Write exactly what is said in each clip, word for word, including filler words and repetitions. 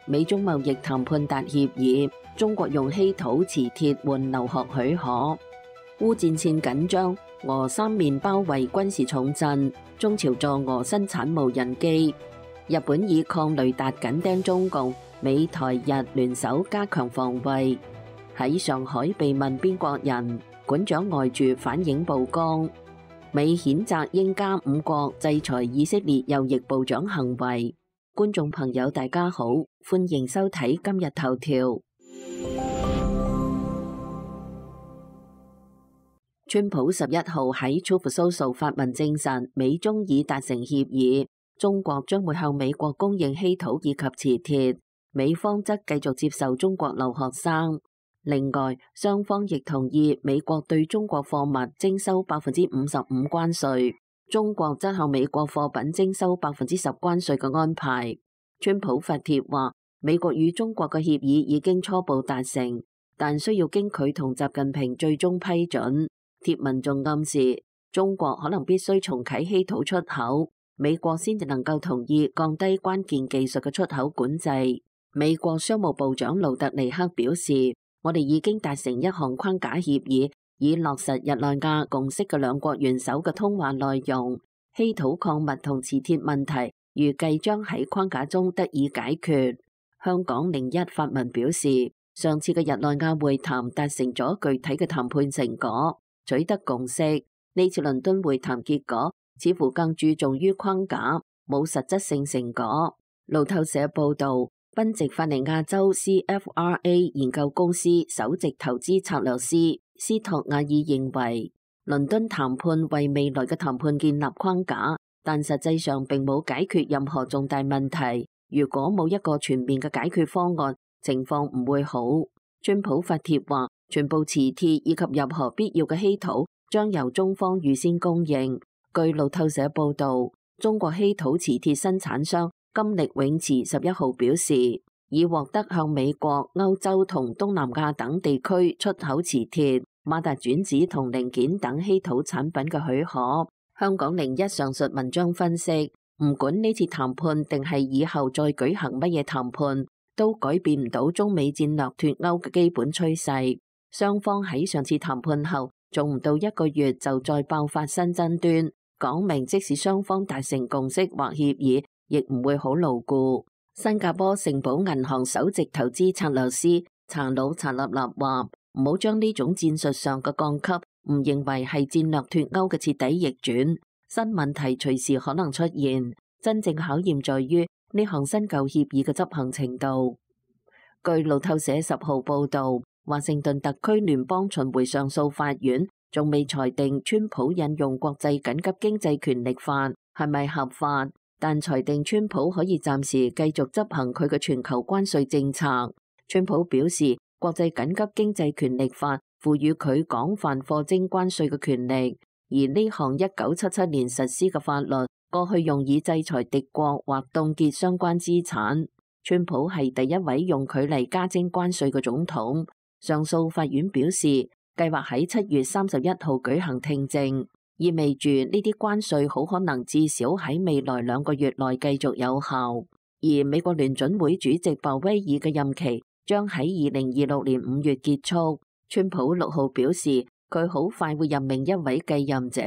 美中貿易談判達協議，中國用稀土磁鐵換留學許可。烏戰線緊張，俄三面包圍軍事重鎮，中朝助俄生產無人機。日本以抗雷達緊盯中共，美台日聯手加強防衛。喺上海被問邊國人，館長外駐反映曝光。美譴責英加五國制裁以色列右翼部長行為。觀眾朋友大家好，歡迎收睇今日頭條。川普十一號喺 Truth Social 發文證實，美中已達成協議，中國將會向美國供應稀土以及磁鐵，美方則繼續接受中國留學生。另外，雙方亦同意美國對中國貨物徵收百分之五十五關稅，中國則向美國貨品徵收百分之十關稅嘅安排。川普發帖話，美國與中國嘅協議已經初步達成，但需要經佢同習近平最終批准。帖文仲暗示，中國可能必須重啟稀土出口，美國先至能夠同意降低關鍵技術嘅出口管制。美國商務部長盧特尼克表示，我哋已經達成一項框架協議，以落實日內瓦共識嘅兩國元首嘅通話內容。稀土礦物同磁鐵問題預計將喺框架中得以解決。香港零一發文表示，上次嘅日內瓦會談達成咗具體嘅談判成果，取得共識。呢次倫敦會談結果似乎更注重於框架，冇實質性成果。路透社報道，賓夕法尼亞州 C F R A 研究公司首席投資策略師斯托亞爾認為，倫敦談判為未來嘅談判建立框架，但實際上並冇解決任何重大問題。如果冇一個全面嘅解決方案，情況唔會好。川普發帖話，全部磁鐵以及任何必要嘅稀土將由中方預先供應。據路透社報道，中國稀土磁鐵生產商金力永磁十一號表示，已獲得向美國、歐洲同東南亞等地區出口磁鐵、馬達轉子同零件等稀土產品嘅許可。香港零一上述文章分析，唔管呢次談判定係以後再舉行乜嘢談判，都改變唔到中美戰略脫鈎嘅基本趨勢。雙方喺上次談判後，仲唔到一個月就再爆發新爭端，講明即使雙方達成共識或協議，亦唔會好牢固。新加坡盛寶銀行首席投資策略師查魯查立立話，唔好將呢種戰術上嘅降級，唔認為係戰略脫鈎嘅徹底逆轉，新問題隨時可能出現，真正考驗在於呢項新舊協議嘅執行程度。據路透社十號報道，華盛頓特區聯邦巡迴上訴法院仲未裁定川普引用國際緊急經濟權力法係咪合法，但裁定川普可以暫時繼續執行佢嘅全球關稅政策。川普表示，國際緊急經濟權力法賦予佢廣泛課徵關稅嘅權力，而呢項一九七七年實施嘅法律過去用以制裁敵國或凍結相關資產。川普係第一位用佢嚟加徵關稅嘅總統。上訴法院表示，計劃喺七月三十一號舉行聽證，意味住呢啲關稅好可能至少喺未來兩個月內繼續有效。而美國聯準會主席鮑威爾嘅任期將喺二零二六年五月結束。川普六號表示，佢好快會任命一位繼任者。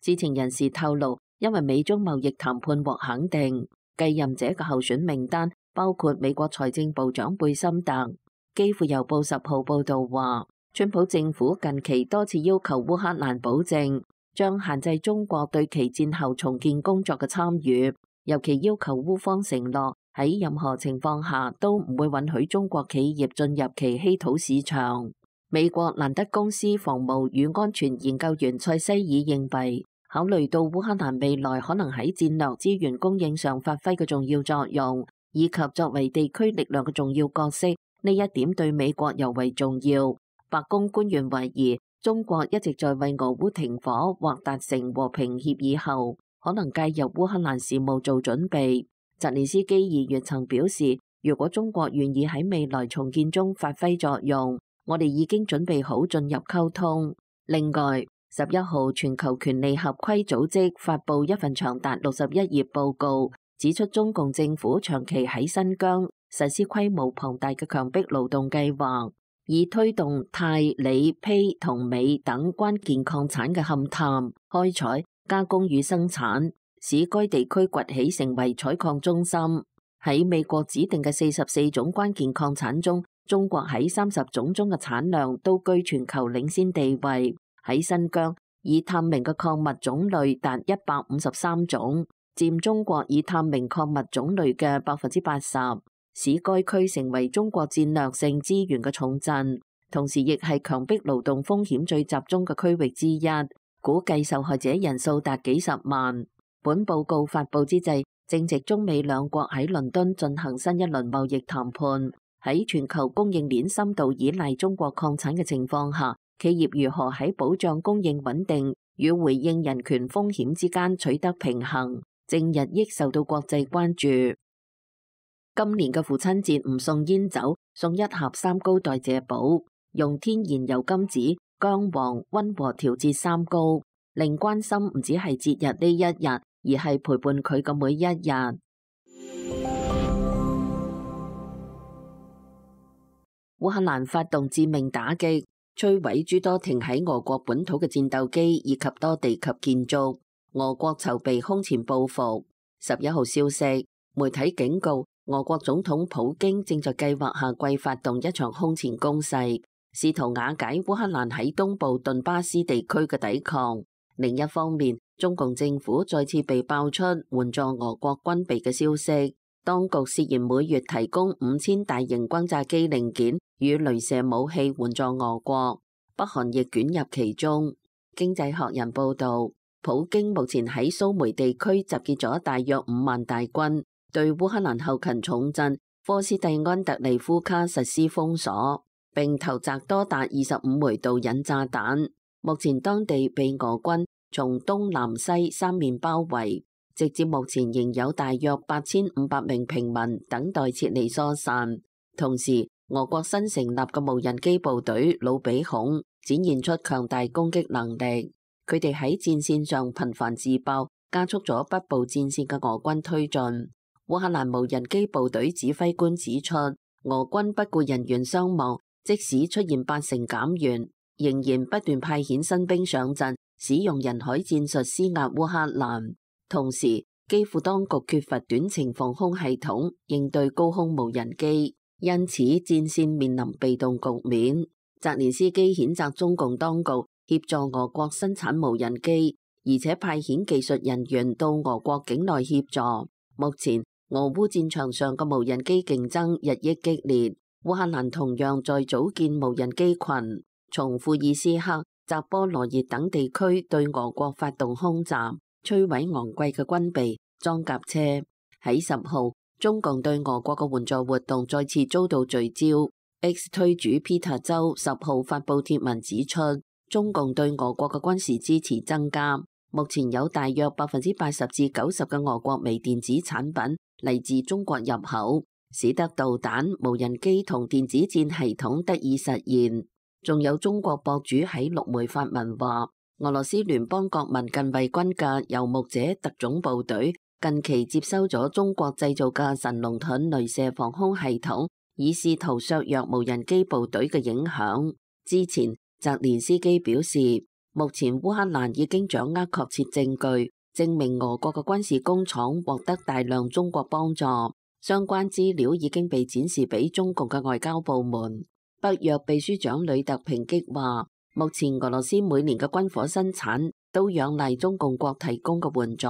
知情人士透露，因為美中貿易談判獲肯定，繼任者嘅候選名單包括美國財政部長貝森特。基輔郵報十號報道話，川普政府近期多次要求烏克蘭保證將限制中國對其戰後重建工作嘅參與，尤其要求烏方承諾喺任何情況下都唔會允許中國企業進入其稀土市場。美國蘭德公司防務與安全研究員塞西爾認為，考慮到烏克蘭未來可能喺戰略資源供應上發揮嘅重要作用，以及作為地區力量嘅重要角色，呢一點對美國尤為重要。白宮官員懷疑，中國一直在為俄烏停火或達成和平協議後，可能介入烏克蘭事務做準備。澤連斯基二月曾表示，如果中國願意喺未來重建中發揮作用，我哋已經準備好進入溝通。另外，十一號全球權利合規組織發布一份長達六十一頁報告，指出中共政府長期喺新疆、實施規模龐大嘅強迫勞動計劃，以推動鈦、鋰、鈈同鎂等關鍵礦產嘅勘探、開採、加工與生產，使該地區崛起成為採礦中心。喺美國指定嘅四十四種關鍵礦產中，中國喺三十種中嘅產量都居全球領先地位。喺新疆，已探明嘅礦物種類達一百五十三種，佔中國已探明礦物種類嘅百分之八十。使該區成為中國戰略性資源嘅重鎮，同時亦係強迫勞動風險最集中嘅區域之一，估計受害者人數達幾十萬。本報告發佈之際，正值中美兩國喺倫敦進行新一輪貿易談判。喺全球供應鏈深度依賴中國礦產嘅情況下，企業如何喺保障供應穩定與回應人權風險之間取得平衡，正日益受到國際關注。今年嘅父親節唔送煙酒，送一盒三高代謝寶，用天然油甘子、薑黃溫和調節三高，令關心唔只係節日呢一日，而係陪伴佢嘅每一日。烏克蘭發動致命打擊，摧毀諸多停喺俄國本土嘅戰鬥機以及多地級建築，俄國籌備空前報復。十一號消息，媒體警告，俄國總統普京正在計劃夏季發動一場空前攻勢，試圖瓦解烏克蘭喺東部頓巴斯地區嘅抵抗。另一方面，中共政府再次被爆出援助俄國軍備嘅消息，當局涉嫌每月提供五千大型轟炸機零件與鐳射武器援助俄國，北韓亦捲入其中。經濟學人報道，普京目前喺蘇梅地區集結咗大約五萬大軍，對烏克蘭後勤重鎮科斯蒂安特利夫卡實施封鎖，並投擲多達二十五枚導引炸彈。目前當地被俄軍從東南西三面包圍，直至目前仍有大約八千五百名平民等待撤離疏散。同時，俄國新成立嘅無人機部隊魯比孔展現出強大攻擊能力，佢哋喺戰線上頻繁自爆，加速咗北部戰線嘅俄軍推進。烏克蘭無人機部隊指揮官指出，俄軍不顧人員傷亡，即使出現八成減員，仍然不斷派遣新兵上陣，使用人海戰術施壓烏克蘭。同時，基輔當局缺乏短程防空系統應對高空無人機，因此戰線面臨被動局面。澤連斯基譴責中共當局協助俄國生產無人機，而且派遣技術人員到俄國境內協助。目前俄烏戰場上嘅無人機競爭日益激烈，烏克蘭同樣在組建無人機群，從庫爾斯克、扎波羅熱等地區對俄國發動空襲，摧毀昂貴嘅軍備裝甲車。喺十號，中共對俄國嘅援助活動再次遭到聚焦。X 推主 Peter 周十號發布帖文指出，中共對俄國嘅軍事支持增加，目前有大約百分之八十至九十嘅俄國微電子產品嚟自中國入口，使得導彈、無人機同電子戰系統得以實現。仲有中國博主喺陸媒發文話，俄羅斯聯邦國民近衛軍嘅游牧者特種部隊近期接收咗中國製造嘅神龍盾鐳射防空系統，以試圖削弱無人機部隊嘅影響。之前，澤連斯基表示，目前烏克蘭已經掌握確切證據，證明俄國嘅軍事工廠獲得大量中國幫助。相關資料已經被展示俾中共嘅外交部門。北約秘書長呂特抨擊話，目前俄羅斯每年嘅軍火生產都仰賴中共國提供嘅援助。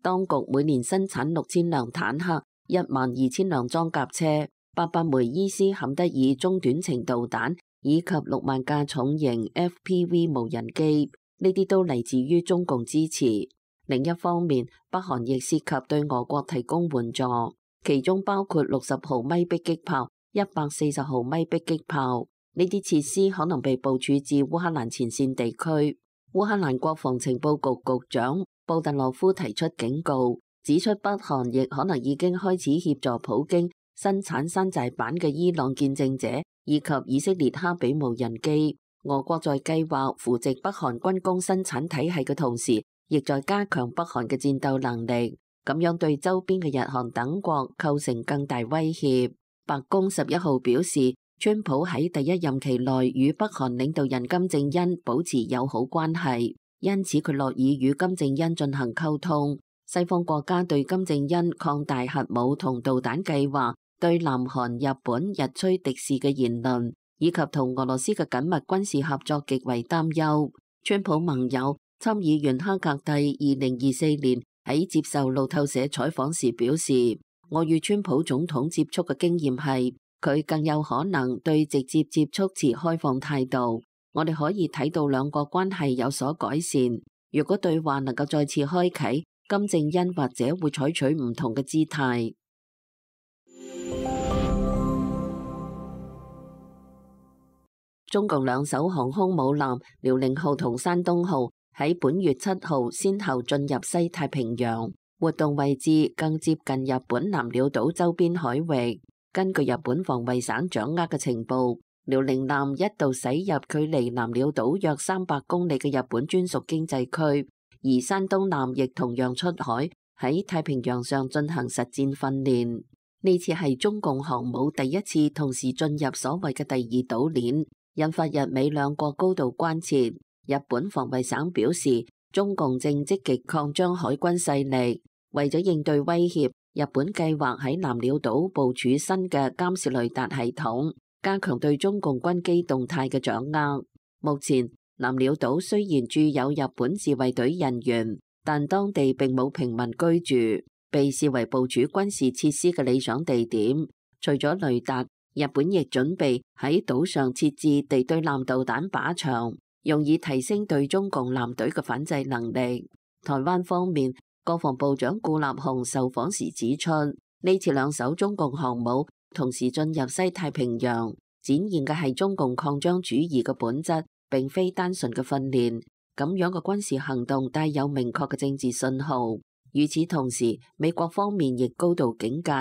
當局每年生產六千輛坦克、一萬二千輛裝甲車、八百枚伊斯坎德爾中短程導彈以及六萬架重型 F P V 無人機，呢啲都嚟自於中共支持。另一方面，北韓亦涉及對俄國提供援助，其中包括六十毫米迫擊炮、一百四十毫米迫擊炮，呢啲設施可能被部署至烏克蘭前線地區。烏克蘭國防情報局局長布特洛夫提出警告，指出北韓亦可能已經開始協助普京生產山寨版嘅伊朗見證者以及以色列哈比無人機。俄國在計劃扶植北韓軍工生產體系嘅同時，亦在加強北韓嘅戰鬥能力，咁樣對周邊嘅日韓等國構成更大威脅。白宮十一號表示，川普喺第一任期內與北韓領導人金正恩保持友好關係，因此佢樂意與金正恩進行溝通。西方國家對金正恩擴大核武同導彈計劃、對南韓、日本日趨敵視嘅言論，以及同俄羅斯嘅緊密軍事合作極為擔憂。川普盟友參議員哈格蒂二零二四年喺接受路透社採訪時表示，我與川普總統接觸嘅經驗係，佢更有可能對直接接觸持開放態度。我哋可以睇到兩國關係有所改善。如果對話能夠再次開啟，金正恩或者會採取唔同嘅姿態。中共兩艘航空母艦遼寧號同山東號喺本月七號先後進入西太平洋，活動位置更接近日本南鳥島周邊海域。根據日本防衛省掌握嘅情報，遼寧艦一度駛入距離南鳥島約三百公里嘅日本專屬經濟區。而山東艦亦同樣出海喺太平洋上進行實戰訓練。呢次係中共航母第一次同時進入所謂嘅第二島鏈，引發日美兩國高度關切。日本防衛省表示，中共正積極擴張海軍勢力，為咗應對威脅，日本計劃喺南鳥島部署新嘅監視雷達系統，加強對中共軍機動態嘅掌握。目前，南鳥島雖然駐有日本自衛隊人員，但當地並冇平民居住，被視為部署軍事設施嘅理想地點。除咗雷達，日本亦準備喺島上設置地對艦導彈靶場，用以提升對中共艦隊嘅反制能力。台灣方面，國防部長顧立雄受訪時指出，呢次兩艘中共航母同時進入西太平洋，展現嘅係中共擴張主義嘅本質，並非單純嘅訓練。咁樣嘅軍事行動帶有明確嘅政治信號。與此同時，美國方面亦高度警戒。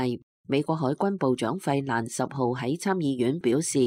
美國海軍部長費蘭十號喺參議院表示，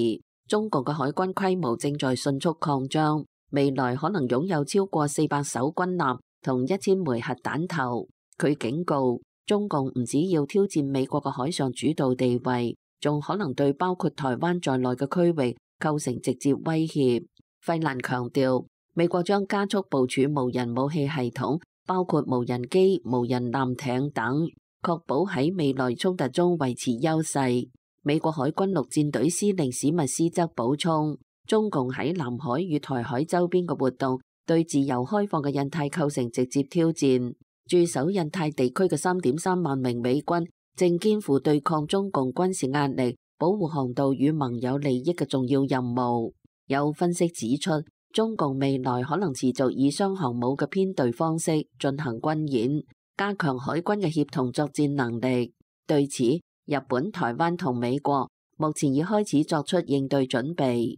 中共嘅海軍規模正在迅速擴張，未來可能擁有超過四百艘軍艦同一千枚核彈頭。佢警告，中共唔只要挑戰美國嘅海上主導地位，仲可能對包括台灣在內嘅區域構成直接威脅。費蘭強調，美國將加速部署無人武器系統，包括無人機、無人艦艇等，確保喺未來衝突中維持優勢。美國海軍陸戰隊司令史密斯則補充，中共喺南海與台海周邊嘅活動，對自由開放嘅印太構成直接挑戰。駐守印太地區嘅三點三萬名美軍，正肩負對抗中共軍事壓力、保護航道與盟友利益嘅重要任務。有分析指出，中共未來可能持續以雙航母嘅編隊方式進行軍演，加強海軍嘅協同作戰能力。對此，日本、台灣同美國目前已開始作出應對準備。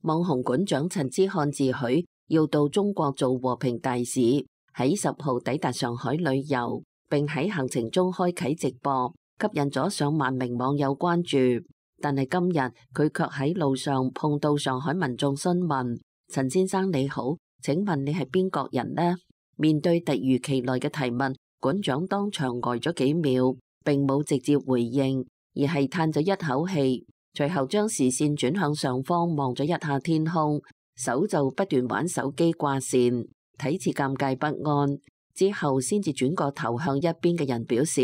網紅館長陳之漢自詡要到中國做和平大使，喺十號抵達上海旅遊，並喺行程中開啟直播，吸引咗上萬名網友關注。但係今日佢卻喺路上碰到上海民眾詢問：陳先生你好，請問你係邊國人呢？面對突如其來嘅提問，館長當場呆咗幾秒，並冇直接回應，而係嘆咗一口氣，隨後將視線轉向上方望咗一下天空，手就不斷玩手機掛線，睇似尷尬不安。之後先至轉個頭向一邊嘅人表示：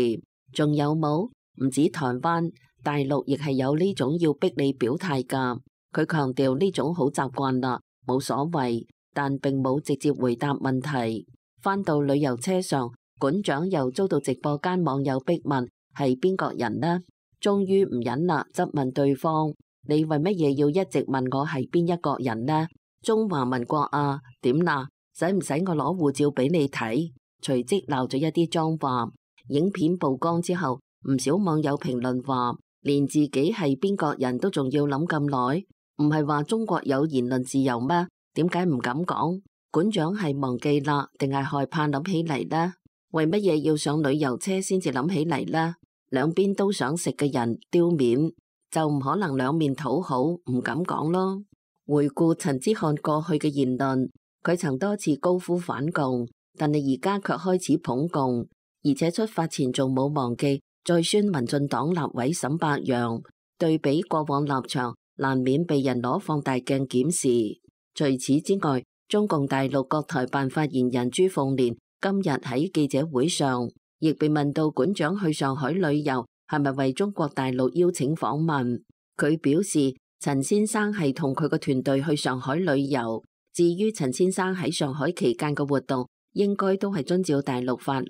仲有冇？唔止台灣，大陸亦係有呢種要逼你表態㗎。佢強調呢種好習慣啦，冇所謂，但並冇直接回答問題。返到旅遊車上，館長又遭到直播間網友逼問係邊國人呢？終於唔忍啦，質問對方：你為乜嘢要一直問我係邊一國人呢？中華民國啊？點啦？使唔使我攞護照俾你睇？隨即鬧咗一啲髒話。影片曝光之後，唔少網友評論話，連自己係邊國人都仲要諗咁耐，唔係話中國有言論自由咩？點解唔敢講？館長係忘記啦，定係害怕諗起嚟呢？為乜嘢要上旅遊車先至諗起嚟呢？兩邊都想食嘅人丟面，就唔可能兩面討好，唔敢講咯。回顧陳之漢過去嘅言論，佢曾多次高呼反共，但係而家卻開始捧共。而且出發前仲冇忘記再宣民進黨立委沈伯洋，對比過往立場，難免被人攞放大鏡檢視。除此之外，中共大陸國台辦發言人朱鳳蓮今日喺記者會上，亦被問到館長去上海旅遊係咪為中國大陸邀請訪問，佢表示陳先生係同佢個團隊去上海旅遊，至於陳先生喺上海期間嘅活動，應該都係遵照大陸法律。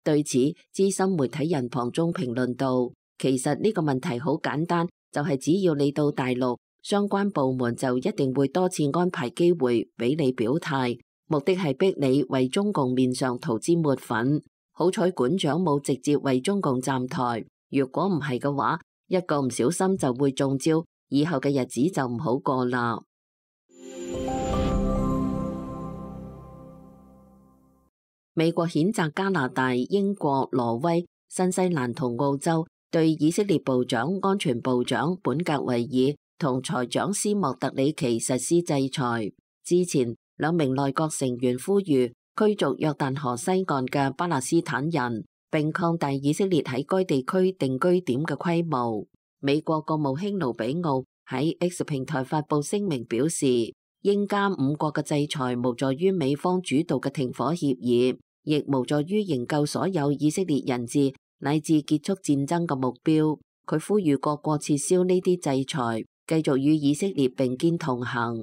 對此，資深媒體人龐中評論道，其實呢個問題好簡單，就係只要你到大陸，相關部門就一定會多次安排機會俾你表態，目的係逼你為中共面上塗脂抹粉。好彩館長冇直接為中共站台，如果唔係嘅話，一個唔小心就會中招，以後嘅日子就唔好過啦。美國譴責加拿大、英國、挪威、新西蘭同澳洲對以色列部長、安全部長本格維爾同財長斯莫特里奇實施制裁。之前兩名內閣成員呼籲驅逐約旦河西岸嘅巴勒斯坦人，並擴大以色列喺該地區定居點嘅規模。美國國務卿盧比奧喺 X 平台發佈聲明表示，英加五國嘅制裁無助於美方主導嘅停火協議，亦無助於營救所有以色列人質乃至結束戰爭嘅目標。佢呼籲各國撤銷呢啲制裁，繼續與以色列並肩同行。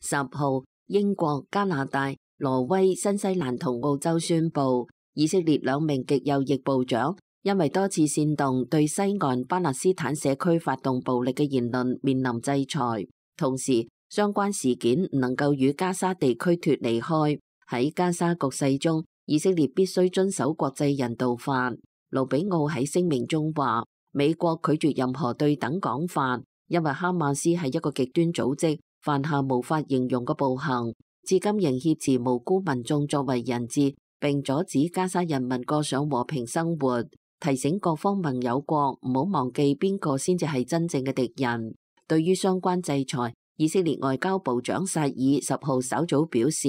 十號，英國、加拿大、挪威、新西蘭同澳洲宣布，以色列兩名極右翼部長因為多次煽動對西岸巴勒斯坦社區發動暴力嘅言論面臨制裁，同時相關事件唔能夠與加沙地區脫離開。喺加沙局勢中，以色列必須遵守國際人道法。盧比奧喺聲明中話，美國拒絕任何對等講法，因為哈馬斯係一個極端組織，犯下無法形容嘅暴行，至今仍挾持無辜民眾作為人質，並阻止加沙人民過上和平生活。提醒各方盟友國唔好忘記邊個先至係真正嘅敵人。對於相關制裁，以色列外交部長薩爾十號稍早表示，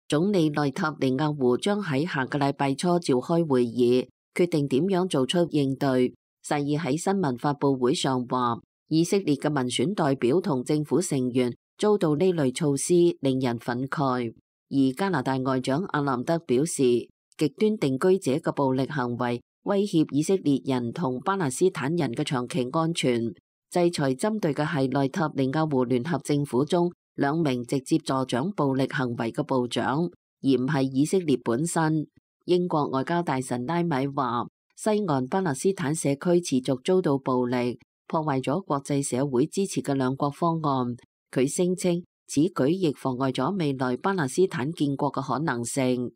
總理內塔尼亞胡將喺下個禮拜初召開會議，決定點樣做出應對。薩爾喺新聞發佈會上話，以色列嘅民選代表同政府成員遭到呢類措施，令人憤慨。而加拿大外長阿南德表示，極端定居者嘅暴力行為威脅以色列人同巴勒斯坦人嘅長期安全。制裁針對嘅係內塔尼亞胡聯合政府中兩名直接助長暴力行為嘅部長，而唔係以色列本身。英國外交大臣拉米話，西岸巴勒斯坦社區持續遭到暴力，破壞咗國際社會支持嘅兩國方案。佢聲稱此舉亦妨礙咗未來巴勒斯坦建國嘅可能性。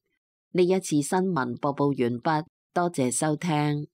呢一次新聞播報完畢，多謝收聽。